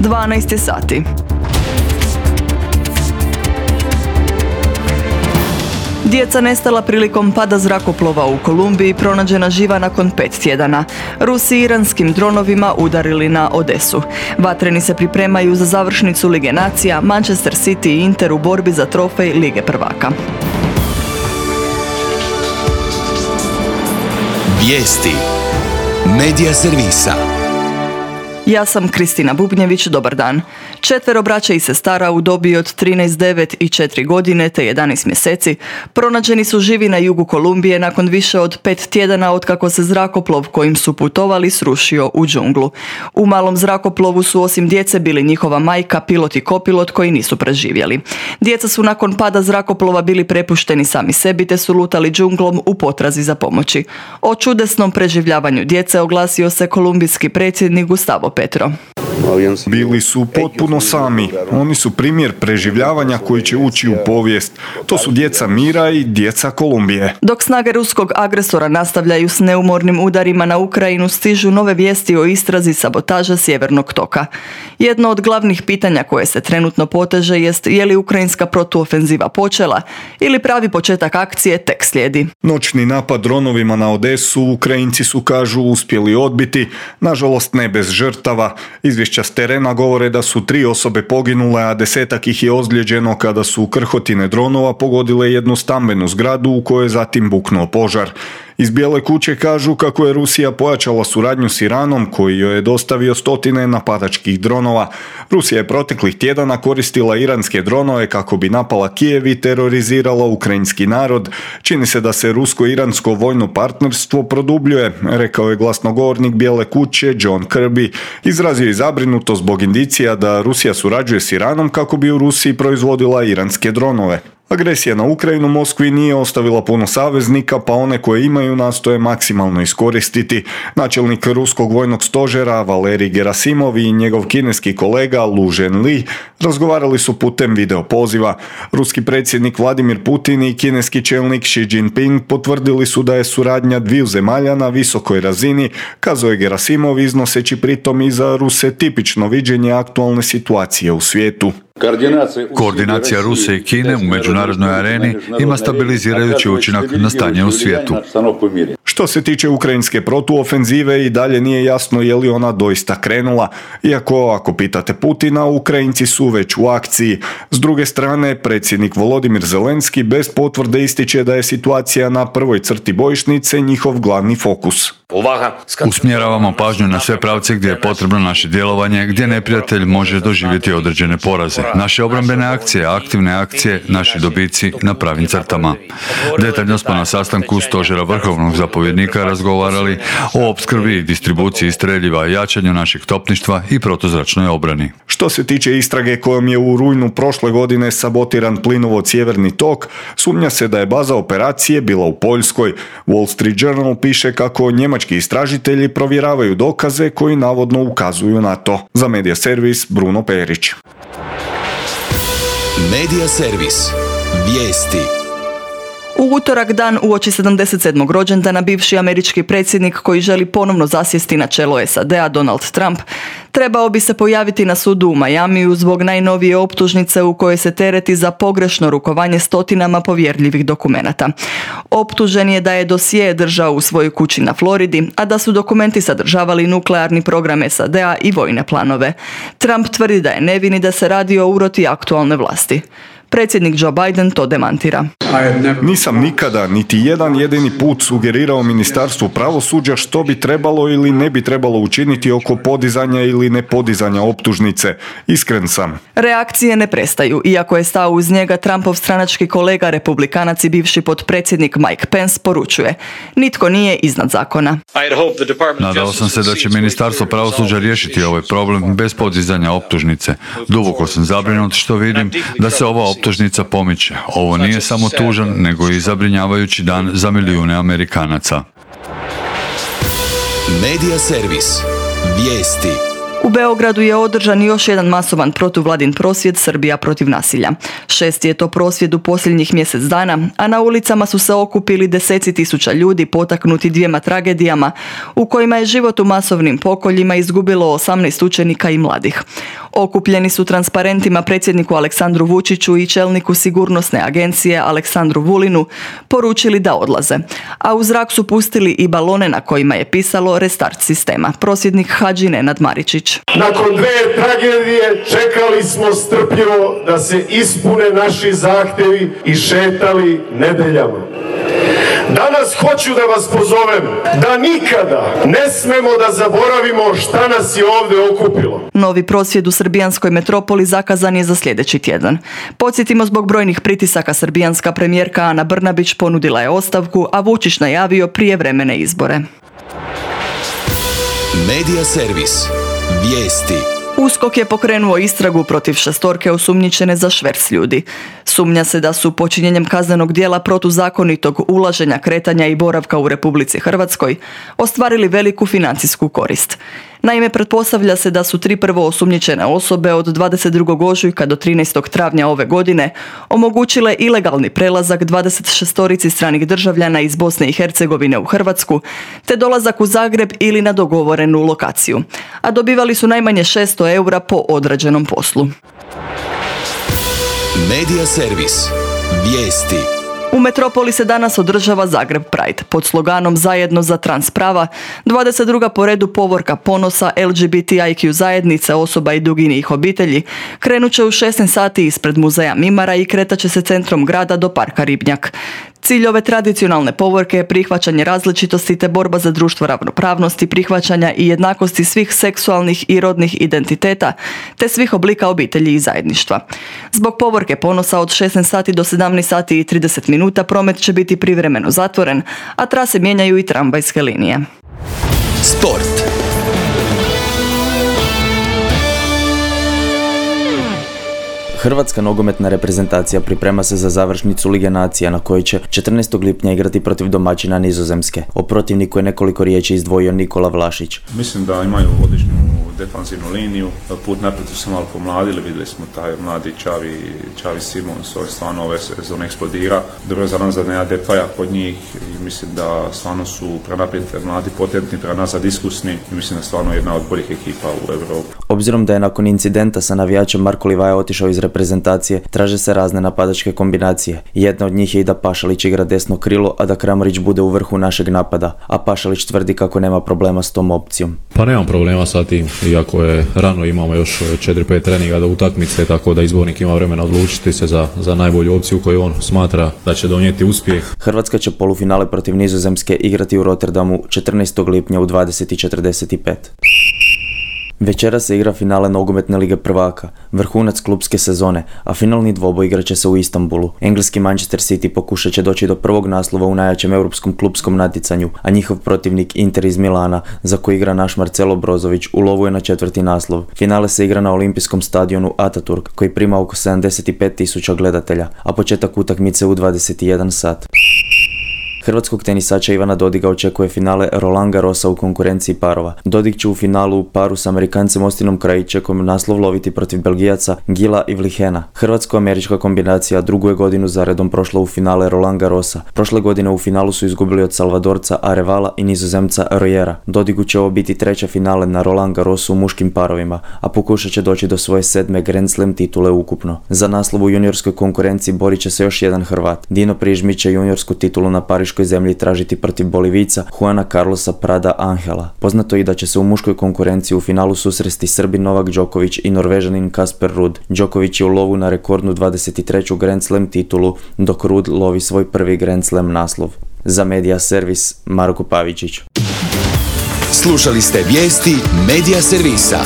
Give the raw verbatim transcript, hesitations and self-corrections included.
dvanaest je sati. Djeca nestala prilikom pada zrakoplova u Kolumbiji pronađena živa nakon pet tjedana. Rusi iranskim dronovima udarili na Odesu. Vatreni se pripremaju za završnicu Lige nacija, Manchester City i Inter u borbi za trofej Lige prvaka. Vijesti Medija servisa. Ja sam Kristina Bubnjević, dobar dan. Četvero braća i sestara u dobi od trinaest, devet i četiri godine te jedanaest mjeseci pronađeni su živi na jugu Kolumbije nakon više od pet tjedana otkako se zrakoplov kojim su putovali srušio u džunglu. U malom zrakoplovu su osim djece bili njihova majka, pilot i kopilot koji nisu preživjeli. Djeca su nakon pada zrakoplova bili prepušteni sami sebi te su lutali džunglom u potrazi za pomoći. O čudesnom preživljavanju djece oglasio se kolumbijski predsjednik Gustavo Petro. Bili su potpuno sami. Oni su primjer preživljavanja koji će ući u povijest. To su djeca mira i djeca Kolumbije. Dok snage ruskog agresora nastavljaju s neumornim udarima na Ukrajinu, stižu nove vijesti o istrazi sabotaža Sjevernog toka. Jedno od glavnih pitanja koje se trenutno poteže jest je li ukrajinska protuofenziva počela ili pravi početak akcije tek slijedi. Noćni napad dronovima na Odesu Ukrajinci su, kažu, uspjeli odbiti, nažalost ne bez žrtava. Izvješća s terena govore da su tri osobe poginule, a desetak ih je ozlijeđeno kada su krhotine dronova pogodile jednu stambenu zgradu u kojoj je zatim buknuo požar. Iz Bijele kuće kažu kako je Rusija pojačala suradnju s Iranom koji joj je dostavio stotine napadačkih dronova. Rusija je proteklih tjedana koristila iranske dronove kako bi napala Kijev i terorizirala ukrajinski narod. Čini se da se rusko-iransko vojno partnerstvo produbljuje, rekao je glasnogovornik Bijele kuće John Kirby. Izrazio je zabrinutost zbog indicija da Rusija surađuje s Iranom kako bi u Rusiji proizvodila iranske dronove. Agresija na Ukrajinu Moskvi nije ostavila puno saveznika, pa one koje imaju nastoje maksimalno iskoristiti. Načelnik ruskog vojnog stožera Valerij Gerasimov i njegov kineski kolega Lu Zhenli razgovarali su putem video poziva. Ruski predsjednik Vladimir Putin i kineski čelnik Xi Jinping potvrdili su da je suradnja dviju zemalja na visokoj razini, kazao je Gerasimov, iznoseći pritom i za Ruse tipično viđenje aktualne situacije u svijetu. Koordinacija Rusije i Kine u međunarodnoj areni ima stabilizirajući učinak na stanje u svijetu. Što se tiče ukrajinske protuofenzive, i dalje nije jasno je li ona doista krenula, iako ako pitate Putina, Ukrajinci su već u akciji. S druge strane, predsjednik Volodimir Zelenski bez potvrde ističe da je situacija na prvoj crti bojišnice njihov glavni fokus. Usmjeravamo pažnju na sve pravce gdje je potrebno naše djelovanje, gdje neprijatelj može doživjeti određene poraze. Naše obrambene akcije, aktivne akcije, naši dobici na pravim crtama. Detaljno smo na sastanku stožera vrhovnog zapovjednika razgovarali o opskrbi i distribuciji streljiva, jačanju našeg topništva i protuzračnoj obrani. Što se tiče istrage kojom je u rujnu prošle godine sabotiran plinovod Sjeverni tok, sumnja se da je baza operacije bila u Poljskoj. Wall Street Journal piše kako njemački istražitelji provjeravaju dokaze koji navodno ukazuju na to. Za Medija servis Bruno Perić. Medija servis. Vijesti. U utorak, dan uoči sedamdeset sedmog rođendana, bivši američki predsjednik koji želi ponovno zasjesti na čelo S A D-a, Donald Trump, trebao bi se pojaviti na sudu u Majamiju zbog najnovije optužnice u kojoj se tereti za pogrešno rukovanje stotinama povjerljivih dokumenata. Optužen je da je dosije držao u svojoj kući na Floridi, a da su dokumenti sadržavali nuklearni program S A D-a i vojne planove. Trump tvrdi da je nevin i da se radi o uroti aktualne vlasti. Predsjednik Joe Biden to demantira. Nisam nikada, niti jedan jedini put sugerirao Ministarstvu pravosuđa što bi trebalo ili ne bi trebalo učiniti oko podizanja ili nepodizanja optužnice. Iskren sam. Reakcije ne prestaju, iako je stao uz njega Trumpov stranački kolega republikanac i bivši potpredsjednik Mike Pence poručuje: nitko nije iznad zakona. Nadao sam se da će Ministarstvo pravosuđa riješiti ovaj problem bez podizanja optužnice. Duboko sam zabrinut što vidim da se ova optužnica pomiče. Ovo nije samo tužan, nego i zabrinjavajući dan za milijune Amerikanaca. Medija servis. Vijesti. U Beogradu je održan još jedan masovan protuvladin prosvjed Srbija protiv nasilja. Šesti je to prosvjed u posljednjih mjesec dana, a na ulicama su se okupili deseci tisuća ljudi potaknuti dvijema tragedijama u kojima je život u masovnim pokoljima izgubilo osamnaest učenika i mladih. Okupljeni su transparentima predsjedniku Aleksandru Vučiću i čelniku sigurnosne agencije Aleksandru Vulinu poručili da odlaze, a u zrak su pustili i balone na kojima je pisalo restart sistema. Prosvjednik Hadži Nenad Maričić. Nakon dve tragedije čekali smo strpljivo da se ispune naši zahtjevi i šetali nedeljama. Danas hoću da vas pozovem da nikada ne smemo da zaboravimo šta nas je ovdje okupilo. Novi prosvjed u srbijanskoj metropoli zakazan je za sljedeći tjedan. Podsjetimo, zbog brojnih pritisaka srbijanska premijerka Ana Brnabić ponudila je ostavku, a Vučić najavio prijevremene izbore. Medija servis. Vijesti. USKOK je pokrenuo istragu protiv šestorke osumnjičene za šverc ljudi. Sumnja se da su počinjenjem kaznenog djela protuzakonitog ulaženja, kretanja i boravka u Republici Hrvatskoj ostvarili veliku financijsku korist. Naime, pretpostavlja se da su tri prvo osumnjičene osobe od dvadeset drugog ožujka do trinaestog travnja ove godine omogućile ilegalni prelazak dvadeset šestorici stranih državljana iz Bosne i Hercegovine u Hrvatsku, te dolazak u Zagreb ili na dogovorenu lokaciju, a dobivali su najmanje šesto eura po odrađenom poslu. Medija servis. Vijesti. U metropoli se danas održava Zagreb Pride pod sloganom Zajedno za trans prava, dvadeset druga po redu povorka ponosa L G B T I Q zajednice osoba i duginijih obitelji krenut će u šesnaest sati ispred muzeja Mimara i kretat će se centrom grada do parka Ribnjak. Cilj ove tradicionalne povorke je prihvaćanje različitosti te borba za društvo ravnopravnosti, prihvaćanja i jednakosti svih seksualnih i rodnih identiteta te svih oblika obitelji i zajedništva. Zbog povorke ponosa od šesnaest sati do sedamnaest sati i trideset minuta promet će biti privremeno zatvoren, a trase mijenjaju i tramvajske linije. Sport. Hrvatska nogometna reprezentacija priprema se za završnicu Lige nacija na kojoj će četrnaestog lipnja igrati protiv domaćina Nizozemske. O protivniku je nekoliko riječi izdvojio Nikola Vlašić. Mislim da imaju odličnu defanzivnu liniju, put naprijed su se malo pomladili, vidjeli smo taj mladi Čavi, Čavi Simons, ovaj stvarno ove sezone eksplodira. Dobro je za nas da nema Depaja kod njih i mislim da stvarno su prenaprijed mladi, potentni, prenazad iskusni i mislim da stvarno jedna od boljih ekipa u Europi. Obzirom da je nakon incidenta sa navijačem Marko Livaja otišao iz reprezentacije, traže se razne napadačke kombinacije. Jedna od njih je i da Pašalić igra desno krilo, a da Kramarić bude u vrhu našeg napada, a Pašalić tvrdi kako nema problema s tom opcijom. Pa nemam problema sa tim, iako je rano, imamo još četiri pet treninga do utakmice, tako da izbornik ima vremena odlučiti se za, za najbolju opciju koju on smatra da će donijeti uspjeh. Hrvatska će polufinale protiv Nizozemske igrati u Rotterdamu četrnaestog lipnja u dvadeset i četrdeset pet. Večera se igra finale nogometne lige prvaka, vrhunac klupske sezone, a finalni dvoboj igrat će se u Istanbulu. Engleski Manchester City pokušat će doći do prvog naslova u najjačem europskom klupskom natjecanju, a njihov protivnik Inter iz Milana, za koji igra naš Marcelo Brozović, u lovu je na četvrti naslov. Finale se igra na olimpijskom stadionu Ataturk, koji prima oko sedamdeset pet tisuća gledatelja, a početak utakmice u dvadeset jedan sat. Hrvatskog tenisača Ivana Dodiga očekuje finale Roland Garrosa u konkurenciji parova. Dodig će u finalu u paru s Amerikancem Ostinom Krajičekom naslov loviti protiv Belgijaca Gila i Vlihena. Hrvatsko-američka kombinacija drugu je godinu zaredom prošla u finale Roland Garrosa. Prošle godine u finalu su izgubili od Salvadorca Arevala i Nizozemca Royera. Dodigu će ovo biti treća finale na Roland Garrosu u muškim parovima, a pokušat će doći do svoje sedme Grand Slam titule ukupno. Za naslov u juniorskoj konkurenciji borit će se još jedan Hrvat. Dino Prižmić će juniorsku titulu na Pariškoj zemlji tražiti protiv Bolivica Juana Carlosa Prada Angela. Poznato je da će se u muškoj konkurenciji u finalu susresti Srbin Novak Đoković i Norvežanin Kasper Ruud. Đoković je u lovu na rekordnu dvadeset treću Grand Slam titulu, dok Ruud lovi svoj prvi Grand Slam naslov. Za Medija servis, Marko Pavičić. Slušali ste vijesti Medija servisa.